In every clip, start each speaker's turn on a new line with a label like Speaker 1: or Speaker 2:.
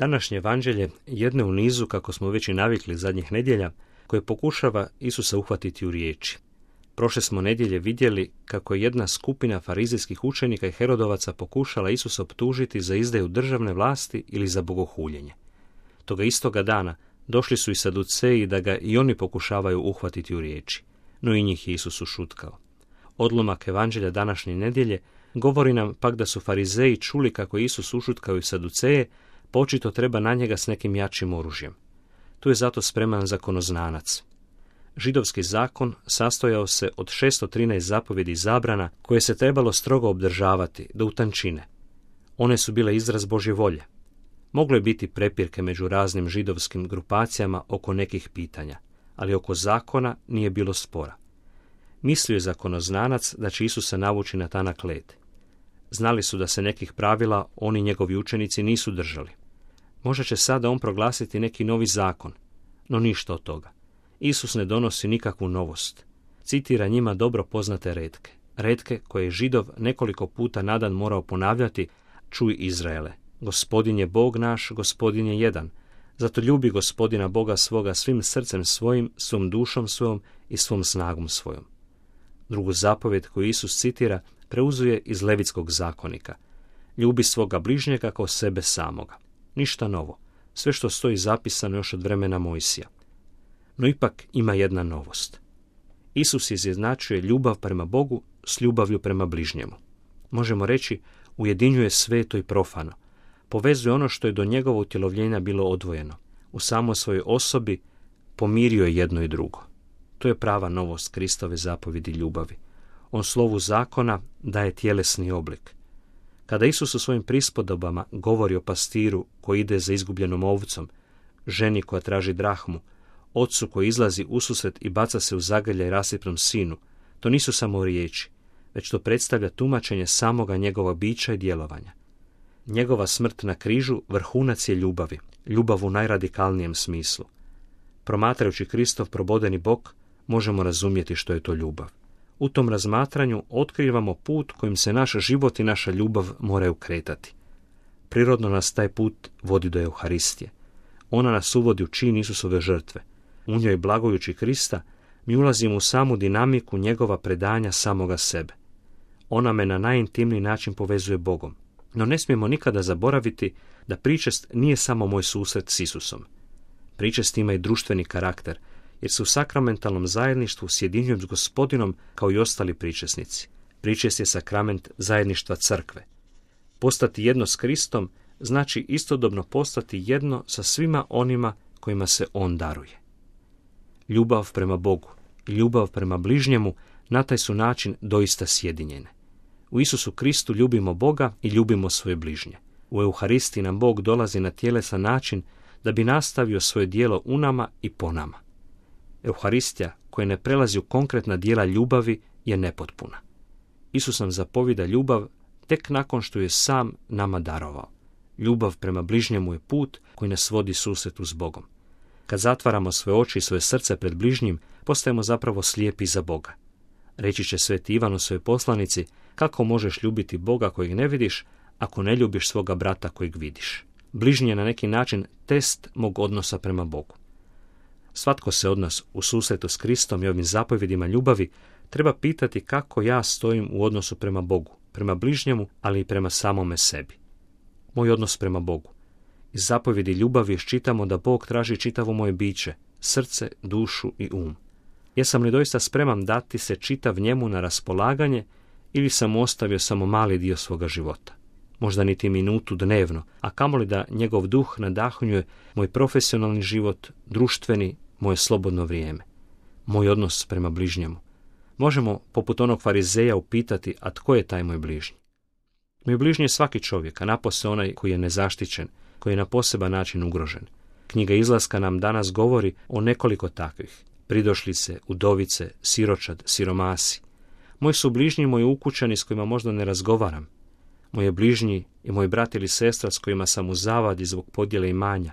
Speaker 1: Današnje evanđelje jedne u nizu, kako smo već i navikli zadnjih nedjelja, koje pokušava Isusa uhvatiti u riječi. Prošle smo nedjelje vidjeli kako je jedna skupina farizejskih učenika i Herodovaca pokušala Isusa optužiti za izdaju državne vlasti ili za bogohuljenje. Toga istoga dana došli su i Saduceji da ga i oni pokušavaju uhvatiti u riječi, no i njih je Isus ušutkao. Odlomak evanđelja današnje nedjelje govori nam pak da su Farizeji čuli kako je Isus ušutkao i Saduceje, pa očito treba na njega s nekim jačim oružjem. Tu je zato spreman zakonoznanac. Židovski zakon sastojao se od 613 zapovjedi i zabrana koje se trebalo strogo obdržavati do utančine. One su bile izraz Božje volje. Moglo je biti prepirke među raznim židovskim grupacijama oko nekih pitanja, ali oko zakona nije bilo spora. Mislio je zakonoznanac da će Isusa navući na tanak led. Znali su da se nekih pravila oni njegovi učenici nisu držali. Možda će sada on proglasiti neki novi zakon, no ništa od toga. Isus ne donosi nikakvu novost. Citira njima dobro poznate retke. Retke koje je Židov nekoliko puta na dan morao ponavljati: čuj Izraele, Gospodin je Bog naš, Gospodin je jedan. Zato ljubi Gospodina Boga svoga svim srcem svojim, svom dušom svojom i svom snagom svojom. Drugu zapovjed koju Isus citira preuzuje iz Levitskog zakonika. Ljubi svoga bližnjega kao sebe samoga. Ništa novo. Sve što stoji zapisano još od vremena Mojsija. No ipak ima jedna novost. Isus izjednačuje ljubav prema Bogu s ljubavlju prema bližnjemu. Možemo reći, ujedinjuje sveto i profano. Povezuje ono što je do njegova utjelovljenja bilo odvojeno. U samoj svojoj osobi pomirio je jedno i drugo. To je prava novost Kristove zapovjedi ljubavi. On slovu zakona daje tjelesni oblik. Kada Isus u svojim prispodobama govori o pastiru koji ide za izgubljenom ovcom, ženi koja traži drahmu, ocu koji izlazi ususret i baca se u zagrljaj rasipnom sinu, to nisu samo riječi, već to predstavlja tumačenje samoga njegova bića i djelovanja. Njegova smrt na križu vrhunac je ljubavi, ljubav u najradikalnijem smislu. Promatrajući Kristov probodeni bok, možemo razumjeti što je to ljubav. U tom razmatranju otkrivamo put kojim se naš život i naša ljubav moraju kretati. Prirodno nas taj put vodi do Euharistije. Ona nas uvodi u čin Isusove žrtve. U njoj blagojući Krista mi ulazimo u samu dinamiku njegova predanja samoga sebe. Ona me na najintimniji način povezuje Bogom. No ne smijemo nikada zaboraviti da pričest nije samo moj susret s Isusom. Pričest ima i društveni karakter, jer se u sakramentalnom zajedništvu sjedinjujem s Gospodinom kao i ostali pričesnici. Pričest je sakrament zajedništva crkve. Postati jedno s Kristom znači istodobno postati jedno sa svima onima kojima se on daruje. Ljubav prema Bogu i ljubav prema bližnjemu na taj su način doista sjedinjene. U Isusu Kristu ljubimo Boga i ljubimo svoje bližnje. U Euharistiji nam Bog dolazi na tjelesan način da bi nastavio svoje djelo u nama i po nama. Euharistija, koja ne prelazi u konkretna djela ljubavi, je nepotpuna. Isus nam zapovida ljubav tek nakon što je sam nama darovao. Ljubav prema bližnjemu je put koji nas vodi susretu s Bogom. Kad zatvaramo svoje oči i svoje srce pred bližnjim, postajemo zapravo slijepi za Boga. Reći će Sveti Ivan u svojoj poslanici: kako možeš ljubiti Boga kojeg ne vidiš, ako ne ljubiš svoga brata kojeg vidiš. Bližnji je na neki način test mog odnosa prema Bogu. Svatko se od nas u susretu s Kristom i ovim zapovjedima ljubavi treba pitati kako ja stojim u odnosu prema Bogu, prema bližnjemu, ali i prema samome sebi. Moj odnos prema Bogu. Iz zapovjedi ljubavi iščitamo da Bog traži čitavo moje biće, srce, dušu i um. Jesam li doista spreman dati se čitav njemu na raspolaganje ili sam ostavio samo mali dio svoga života? Možda niti minutu dnevno, a kamoli da njegov duh nadahnjuje moj profesionalni život, društveni, moje slobodno vrijeme. Moj odnos prema bližnjemu. Možemo, poput onog farizeja, upitati: a tko je taj moj bližnji? Moj bližnji je svaki čovjek, a napose onaj koji je nezaštićen, koji je na poseban način ugrožen. Knjiga Izlaska nam danas govori o nekoliko takvih: pridošlice, udovice, siročad, siromasi. Moji su bližnji moji ukućani s kojima možda ne razgovaram. Moje bližnji je moj brat ili sestra s kojima sam u zavadi zbog podjele imanja.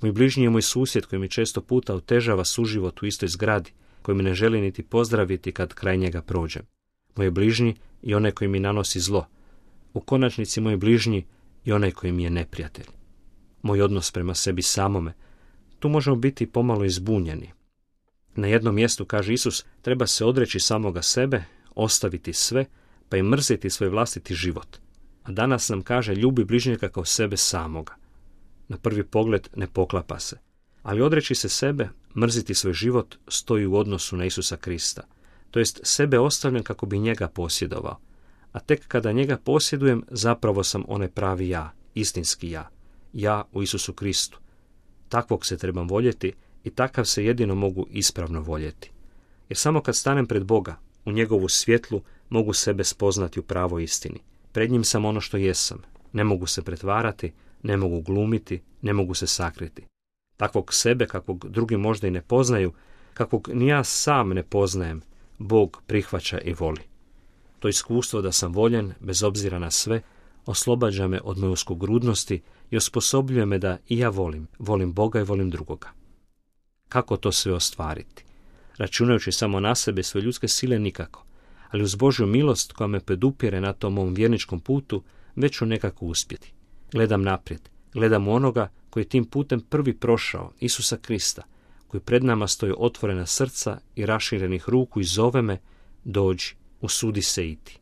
Speaker 1: Moj bližnji je moj susjed koji mi često puta otežava suživot u istoj zgradi, koji mi ne želi niti pozdraviti kad kraj njega prođem. Moj bližnji je onaj koji mi nanosi zlo. U konačnici moj bližnji je onaj koji mi je neprijatelj. moj odnos prema sebi samome, tu možemo biti pomalo izbunjeni. Na jednom mjestu, kaže Isus, treba se odreći samoga sebe, ostaviti sve, pa i mrziti svoj vlastiti život. A danas nam kaže ljubi bližnjega kao sebe samoga. Na prvi pogled ne poklapa se. Ali odreći se sebe, mrziti svoj život, stoji u odnosu na Isusa Krista. To jest sebe ostavljam kako bi njega posjedovao. A tek kada njega posjedujem, zapravo sam onaj pravi ja, istinski ja. Ja u Isusu Kristu. Takvog se trebam voljeti i takav se jedino mogu ispravno voljeti. Jer samo kad stanem pred Boga, u njegovu svjetlu, mogu sebe spoznati u pravoj istini. Pred njim sam ono što jesam. Ne mogu se pretvarati, ne mogu glumiti, ne mogu se sakriti. Takvog sebe, kakvog drugi možda i ne poznaju, kakvog ni ja sam ne poznajem, Bog prihvaća i voli. To iskustvo da sam voljen, bez obzira na sve, oslobađa me od moje uskogrudnosti i osposobljuje me da i ja volim Boga i volim drugoga. Kako to sve ostvariti? Računajući samo na sebe svoje ljudske sile nikako, ali uz Božju milost koja me podupire na tom mom vjerničkom putu, već ću nekako uspjeti. Gledam naprijed, gledam u onoga koji je tim putem prvi prošao, Isusa Krista, koji pred nama stoji otvorena srca i raširenih ruku i zove me, dođi, usudi se iti.